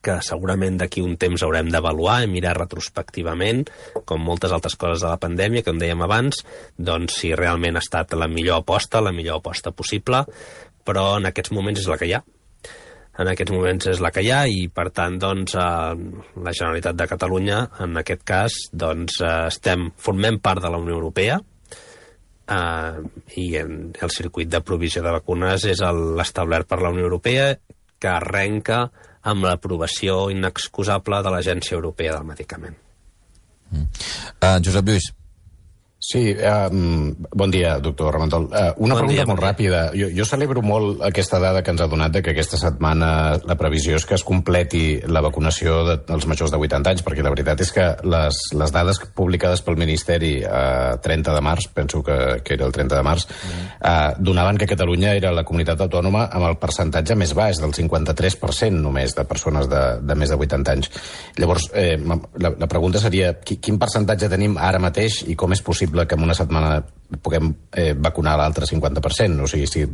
que segurament d'aquí un temps haurem d'avaluar i mirar retrospectivament, com moltes altres coses de la pandèmia, que com dèiem abans, doncs si realment ha estat la millor aposta, la millor aposta possible, però en aquests moments és la que hi ha. En aquests moments és la que hi ha i, per tant, doncs, eh, la Generalitat de Catalunya, en aquest cas, doncs, eh, estem, formem part de la Unió Europea eh, i en, el circuit de provisió de vacunes és l'establert per la Unió Europea, que arrenca amb l'aprovació inexcusable de l'Agència Europea del Medicament. Mm. Uh, Josep Lluís. Sí, um, bon dia, doctor Ramentol. Uh, una bon pregunta dia, molt bon ràpida. Jo, jo celebro molt aquesta dada que ens ha donat de que aquesta setmana la previsió és que es completi la vacunació de, dels majors de vuitanta anys, perquè la veritat és que les, les dades publicades pel Ministeri a uh, trenta de març, penso que, que era el trenta de març, mm. uh, donaven que Catalunya era la comunitat autònoma amb el percentatge més baix, del cinquanta-tres per cent només, de persones de, de més de vuitanta anys. Llavors, eh, la, la pregunta seria, quin percentatge tenim ara mateix i com és possible que en una setmana puguem eh, vacunar l'altre cinquanta per cent? O sigui, si,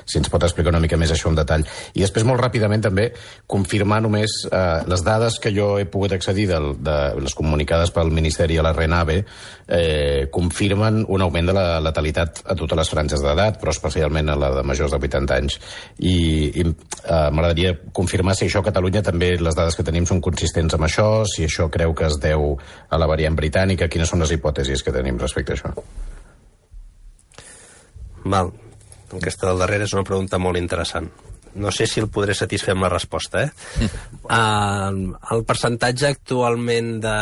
si ens pot explicar una mica més això en detall. I després, molt ràpidament, també, confirmar només eh, les dades que jo he pogut accedir del, de les comunicades pel Ministeri a la RENAVE eh, confirmen un augment de la letalitat a totes les franges d'edat, però especialment a la de majors de vuitanta anys. I, i eh, m'agradaria confirmar si això a Catalunya també les dades que tenim són consistents amb això, si això creu que es deu a la variant britànica, quines són les hipòtesis que tenim respecte a això. Val. Aquesta del darrere és una pregunta molt interessant. No sé si el podré satisfer amb la resposta, eh? uh, el percentatge actualment de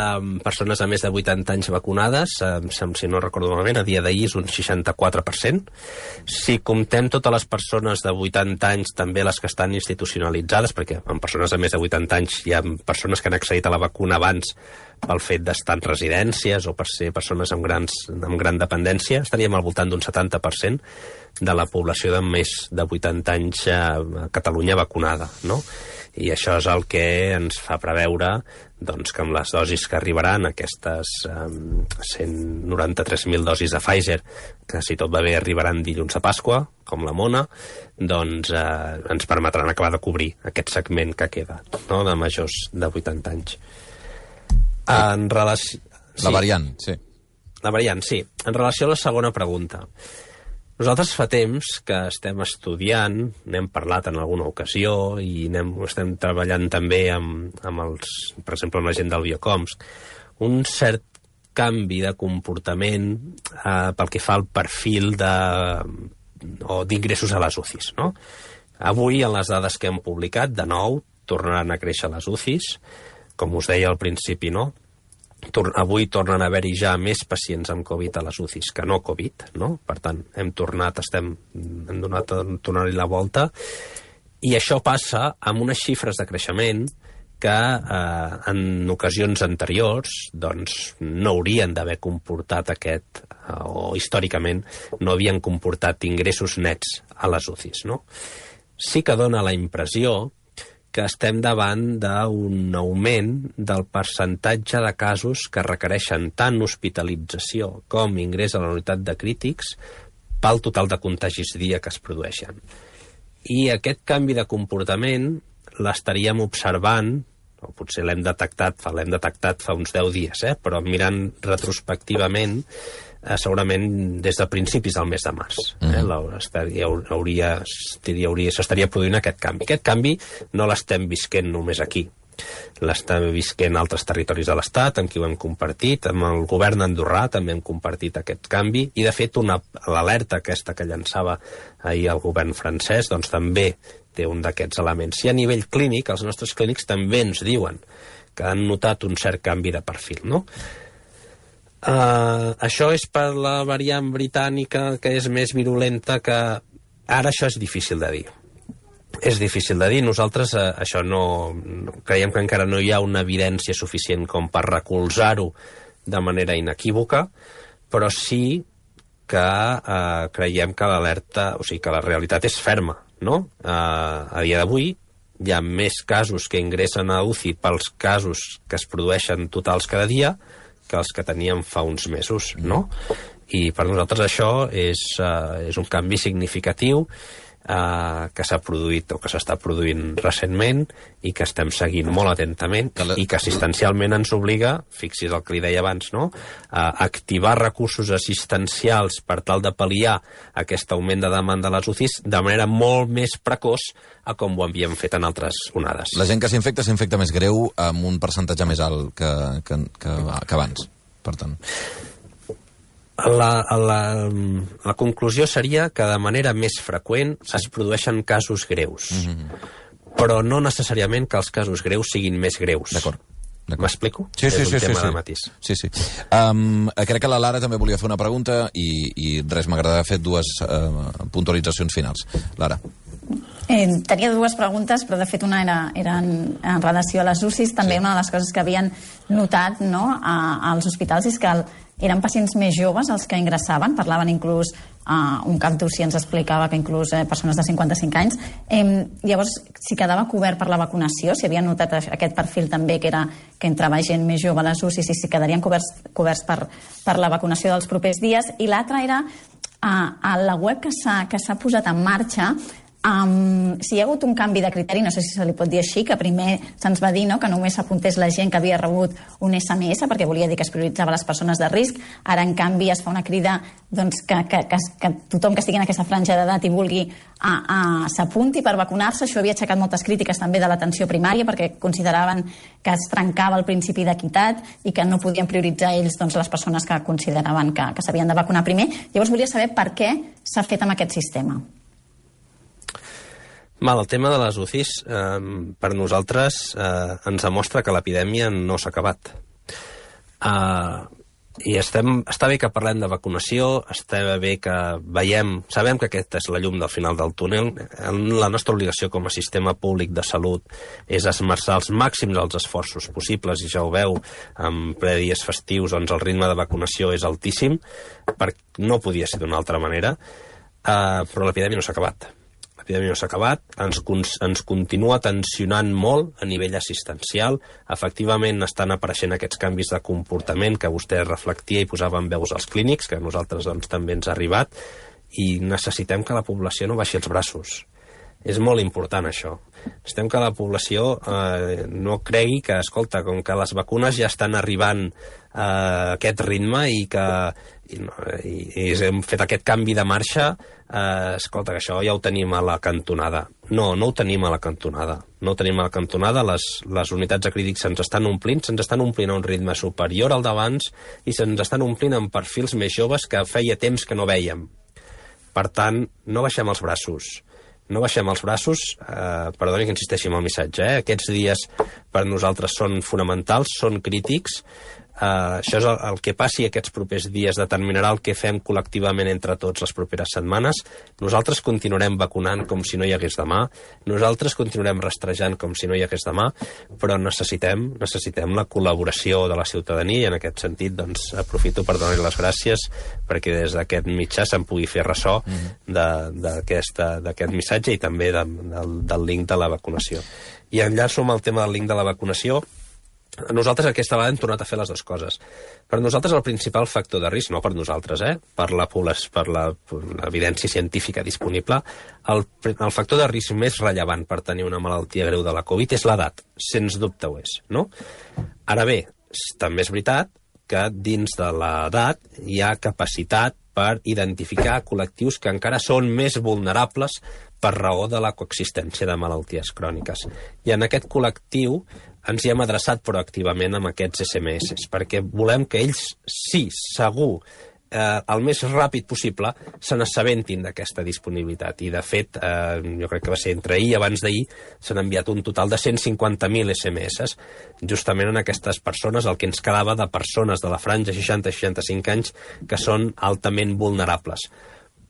persones de més de vuitanta anys vacunades, uh, si no recordo malament, a dia d'ahir és un seixanta-quatre per cent. Si comptem totes les persones de vuitanta anys, també les que estan institucionalitzades, perquè en persones de més de vuitanta anys hi ha persones que han accedit a la vacuna abans pel fet d'estar en residències o per ser persones amb, grans, amb gran dependència, estaríem al voltant d'un setanta per cent de la població de més de vuitanta anys a Catalunya vacunada, no? I això és el que ens fa preveure doncs, que amb les dosis que arribaran, aquestes um, cent noranta-tres mil dosis de Pfizer, que si tot va bé arribaran dilluns a Pasqua, com la mona, doncs eh, ens permetran acabar de cobrir aquest segment que queda, no?, de majors de vuitanta anys. En relació... Sí. La variant, sí. La variant, sí. En relació a la segona pregunta. Nosaltres fa temps que estem estudiant, n'hem parlat en alguna ocasió i anem, estem treballant també amb, amb els, per exemple, amb la gent del Biocoms, un cert canvi de comportament eh, pel que fa al perfil de, o d'ingressos a les U C Is, no? Avui, en les dades que hem publicat, de nou, tornaran a créixer les U C Is, com us deia al principi, no? Tor- avui tornen a haver-hi ja més pacients amb Covid a les U C Is que no Covid, no? Per tant, hem tornat, estem, hem donat a tornar-hi la volta, i això passa amb unes xifres de creixement que eh, en ocasions anteriors doncs, no haurien d'haver comportat aquest, eh, o històricament no havien comportat ingressos nets a les U C Is, no? Sí que dona la impressió que estem davant d'un augment del percentatge de casos que requereixen tant hospitalització com ingrés a la unitat de crítics pel total de contagis dia que es produeixen. I aquest canvi de comportament l'estaríem observant, o potser l'hem detectat, l'hem detectat fa uns deu dies, eh? Però mirant retrospectivament, eh, segurament des de principis del mes de març. Eh? Estaria, hauria, hauria, s'estaria produint aquest canvi. Aquest canvi no l'estem visquent només aquí. L'estem visquent a altres territoris de l'Estat, amb qui ho hem compartit, amb el govern andorrà també hem compartit aquest canvi, i de fet l'alerta aquesta que llançava ahir el govern francès doncs també té un d'aquests elements. I a nivell clínic, els nostres clínics també ens diuen que han notat un cert canvi de perfil, no? Uh, això és per la variant britànica, que és més virulenta, que ara això és difícil de dir. És difícil de dir. Nosaltres eh, això no, no... Creiem que encara no hi ha una evidència suficient com per recolzar-ho de manera inequívoca, però sí que eh, creiem que l'alerta, o sigui, que la realitat és ferma, no? Eh, a dia d'avui hi ha més casos que ingressen a U C I pels casos que es produeixen totals cada dia que els que teníem fa uns mesos, no? I per nosaltres això és, eh, és un canvi significatiu Uh, que s'ha produït o que s'està produint recentment i que estem seguint molt atentament i que assistencialment ens obliga, fixis el que li deia abans, no? A activar recursos assistencials per tal de pal·liar aquest augment de demanda a les U C Is de manera molt més precoç a com ho havíem fet en altres onades. La gent que s'infecta s'infecta més greu amb un percentatge més alt que, que, que, que abans, per tant. La, la, la conclusió seria que de manera més freqüent sí. es produeixen casos greus, mm-hmm. però no necessàriament que els casos greus siguin més greus. D'acord. M'explico? Sí, sí, és un sí, tema sí, de matís. Sí, sí. Um, crec que la Lara també volia fer una pregunta i, i res, m'agradaria fer dues uh, puntualitzacions finals. Lara. Eh, tenia dues preguntes, però de fet una era, era en, en relació a les U C Is. També sí. Una de les coses que havien notat, no, a, als hospitals és que el, eren pacients més joves els que ingressaven, parlaven inclús, uh, un cap d'U C I ens explicava que inclús eh, persones de cinquanta-cinc anys. Eh, llavors, si quedava cobert per la vacunació, si havien notat aquest perfil també, que era que entrava gent més jove a les U C Is, i si quedarien coberts, coberts per, per la vacunació dels propers dies. I l'altra era, uh, a la web que s'ha que s'ha posat en marxa, Um, si hi ha hagut un canvi de criteri, no sé si se li pot dir així, que primer se'ns va dir, no, que només s'apuntés la gent que havia rebut un S M S, perquè volia dir que es prioritzava les persones de risc. Ara, en canvi, es fa una crida doncs, que, que, que, que tothom que estigui en aquesta franja d'edat i vulgui a, a, s'apunti per vacunar-se. Això havia aixecat moltes crítiques també de l'atenció primària, perquè consideraven que es trencava el principi d'equitat i que no podien prioritzar ells doncs, les persones que consideraven que, que s'havien de vacunar primer. Llavors volia saber per què s'ha fet amb aquest sistema. Mal, el tema de les U C Is, eh, per nosaltres, eh, ens demostra que l'epidèmia no s'ha acabat. Eh, I estem, està bé que parlem de vacunació, està bé que veiem, sabem que aquesta és la llum del final del túnel. La nostra obligació com a sistema públic de salut és esmerçar els màxims dels esforços possibles, i ja ho veu, en ple dies festius, doncs el ritme de vacunació és altíssim, perquè no podia ser d'una altra manera, eh, però l'epidèmia no s'ha acabat. L'epidèmia no s'ha acabat, ens, ens continua tensionant molt a nivell assistencial. Efectivament estan apareixent aquests canvis de comportament que vostè reflectia i posava en veus als clínics, que a nosaltres doncs, també ens ha arribat, i necessitem que la població no baixi els braços. És molt important això. Necessitem que la població eh, no cregui que, escolta, com que les vacunes ja estan arribant a aquest ritme i que i, i, i hem fet aquest canvi de marxa, eh, escolta, que això ja ho tenim a la cantonada. No, no ho tenim a la cantonada. No ho tenim a la cantonada. Les, les unitats de crítics se'ns estan omplint, se'ns estan omplint a un ritme superior al d'abans i se'ns estan omplint amb perfils més joves que feia temps que no vèiem. Per tant, no baixem els braços. No baixem els braços, eh, perdoni que insisteixi en el missatge, eh? Aquests dies per nosaltres són fonamentals, són crítics, Uh, això és el, el que passi aquests propers dies determinarà el que fem col·lectivament entre tots les properes setmanes. Nosaltres continuarem vacunant com si no hi hagués demà, nosaltres continuarem rastrejant com si no hi hagués demà, però necessitem, necessitem la col·laboració de la ciutadania i en aquest sentit doncs, aprofito per donar-li les gràcies perquè des d'aquest mitjà se'n pugui fer ressò mm-hmm. d'aquest missatge i també de, del, del link de la vacunació. I enllaço amb el tema del link de la vacunació. Nosaltres aquesta vegada hem tornat a fer les dues coses. Per nosaltres el principal factor de risc, no per nosaltres, eh? per l'evidència científica disponible, el, el factor de risc més rellevant per tenir una malaltia greu de la Covid és l'edat, sens dubte ho és. No? Ara bé, també és veritat que dins de l'edat hi ha capacitat per identificar col·lectius que encara són més vulnerables per raó de la coexistència de malalties cròniques. I en aquest col·lectiu ens hi hem adreçat proactivament amb aquests esse eme esse, perquè volem que ells, sí, segur, eh, el més ràpid possible, se n'assabentin d'aquesta disponibilitat. I, de fet, eh, jo crec que va ser entre ahir i abans d'ahir, s'han enviat un total de cent cinquanta mil esse eme esse, justament en aquestes persones, el que ens quedava de persones de la franja seixanta a seixanta-cinc anys que són altament vulnerables.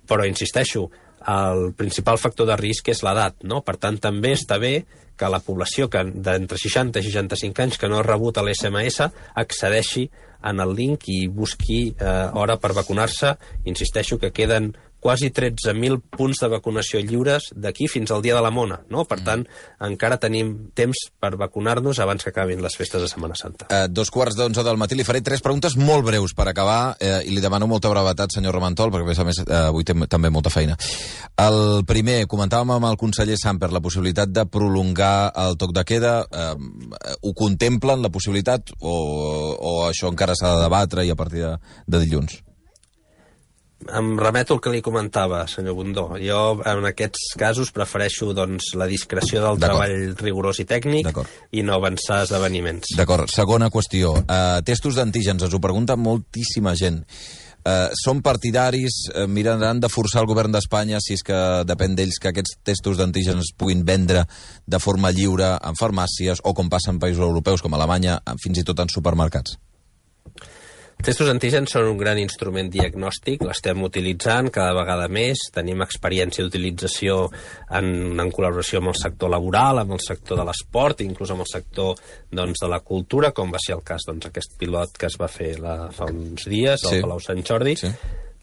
Però, insisteixo, el principal factor de risc és l'edat, no? Per tant, també està bé que la població que d'entre seixanta i seixanta-cinc anys que no ha rebut l'esse eme esse accedeixi en el link i busqui eh, hora per vacunar-se. Insisteixo que queden quasi tretze mil punts de vacunació lliures d'aquí fins al dia de la Mona, no? Per tant, encara tenim temps per vacunar-nos abans que acabin les festes de Setmana Santa. Eh, dos quarts d'onze del matí. Li faré tres preguntes molt breus per acabar eh, i li demano molta brevetat, senyor Ramentol, perquè a més a més eh, avui té també molta feina. El primer, comentàvem amb el conseller Samper la possibilitat de prolongar el toc de queda. Eh, ho contemplen, la possibilitat, o, o això encara s'ha de debatre i a partir de, de dilluns? Em remeto al que li comentava, senyor Bundó. Jo, en aquests casos, prefereixo doncs, la discreció del treball rigorós i tècnic i no avançar esdeveniments. D'acord. Segona qüestió. Uh, testos d'antígens. Ens ho pregunta moltíssima gent. Uh, són partidaris, uh, miraran de forçar el govern d'Espanya, si és que depèn d'ells, que aquests testos d'antígens es puguin vendre de forma lliure en farmàcies o com passa en països europeus com Alemanya, fins i tot en supermercats? Testos antígens són un gran instrument diagnòstic, l'estem utilitzant cada vegada més, tenim experiència d'utilització en, en col·laboració amb el sector laboral, amb el sector de l'esport, inclús amb el sector doncs, de la cultura, com va ser el cas doncs, aquest pilot que es va fer la, fa uns dies al sí. Palau Sant Jordi. Sí.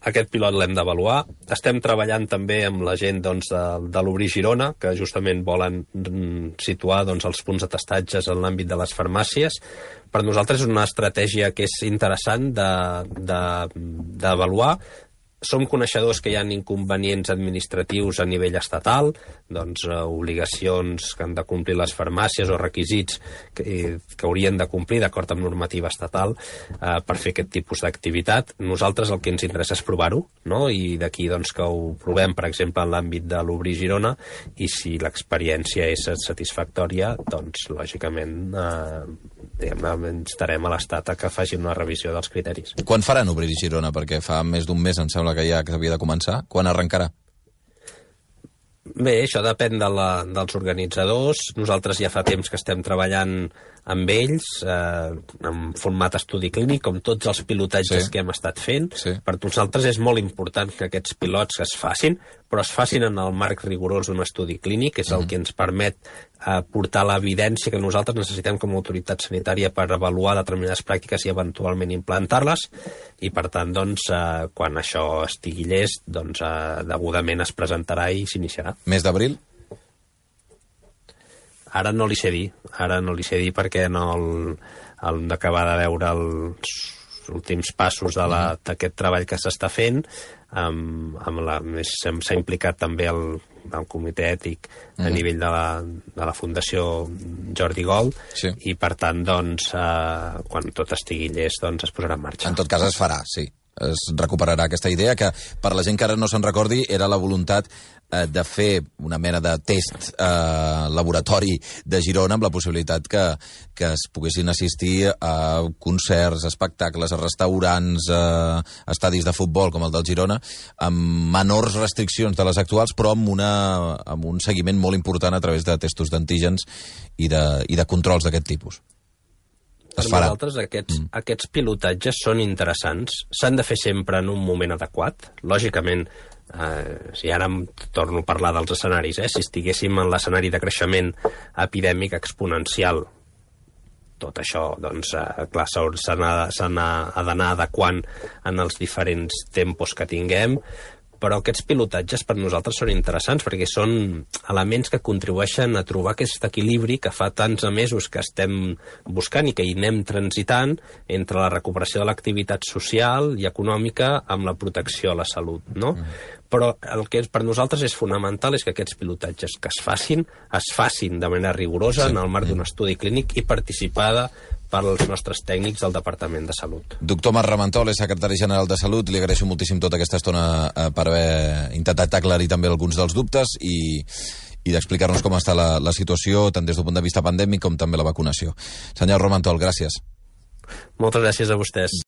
Aquest pilot l'hem d'avaluar. Estem treballant també amb la gent doncs, de, de l'Obrir Girona, que justament volen situar doncs, els punts de testatges en l'àmbit de les farmàcies. Per nosaltres és una estratègia que és interessant d'avaluar. De, de, Som coneixedors que hi ha inconvenients administratius a nivell estatal, doncs eh, obligacions que han de complir les farmàcies o requisits que, que haurien de complir d'acord amb normativa estatal eh, per fer aquest tipus d'activitat. Nosaltres el que ens interessa és provar-ho, no? I d'aquí doncs, que ho provem, per exemple, en l'àmbit de l'Obrir Girona, i si l'experiència és satisfactòria, doncs, lògicament, eh, diguem-ne, estarem a l'Estat a que facin una revisió dels criteris. Quan faran Obrir Girona? Perquè fa més d'un mes, em sembla que ja que havia de començar. Quan arrencarà? Bé, això depèn de la, dels organitzadors. Nosaltres ja fa temps que estem treballant amb ells, eh, en format estudi clínic, com tots els pilotatges sí. que hem estat fent. Sí. Per nosaltres és molt important que aquests pilots es facin, però es facin en el marc rigorós d'un estudi clínic, que és el mm. que ens permet eh, portar l'evidència que nosaltres necessitem com a autoritat sanitària per avaluar determinades pràctiques i eventualment implantar-les, i per tant, doncs, eh, quan això estigui llest, doncs, eh, degudament es presentarà i s'iniciarà. Mes d'abril? Ara no li sé dir, ara no li sé dir perquè no el, el d'acabar de veure els últims passos d'aquest treball que s'està fent, amb, amb la, s'ha implicat també el, el comitè ètic a mm. nivell de la, de la Fundació Jordi Gol, sí. i per tant, doncs, eh, quan tot estigui llest, doncs es posarà en marxa. En tot cas es farà, sí. Es recuperarà aquesta idea que, per la gent que ara no se'n recordi, era la voluntat eh, de fer una mena de test eh, laboratori de Girona amb la possibilitat que, que es poguessin assistir a concerts, espectacles, a restaurants, a estadis de futbol com el del Girona, amb menors restriccions de les actuals, però amb, una, amb un seguiment molt important a través de testos d'antígens i de, i de controls d'aquest tipus. per nosaltres aquests, mm. aquests pilotatges són interessants. S'han de fer sempre en un moment adequat. Lògicament, eh, si ara em torno a parlar dels escenaris, eh, si estiguéssim en l'escenari de creixement epidèmic exponencial, tot això, doncs, eh, clar, s'ha d'anar adequant en els diferents tempos que tinguem, però aquests pilotatges per nosaltres són interessants perquè són elements que contribueixen a trobar aquest equilibri que fa tants mesos que estem buscant i que hi anem transitant entre la recuperació de l'activitat social i econòmica amb la protecció a la salut, no? Mm. Però el que per nosaltres és fonamental és que aquests pilotatges que es facin, es facin de manera rigorosa sí. en el marc d'un estudi clínic i participada pels nostres tècnics del Departament de Salut. Doctor Marc Ramentol, és secretari general de Salut. Li agraeixo moltíssim tota aquesta estona eh, per haver intentat aclarir també alguns dels dubtes i, i d'explicar-nos com està la, la situació, tant des del punt de vista pandèmic com també la vacunació. Senyor Ramentol, gràcies. Moltes gràcies a vostès.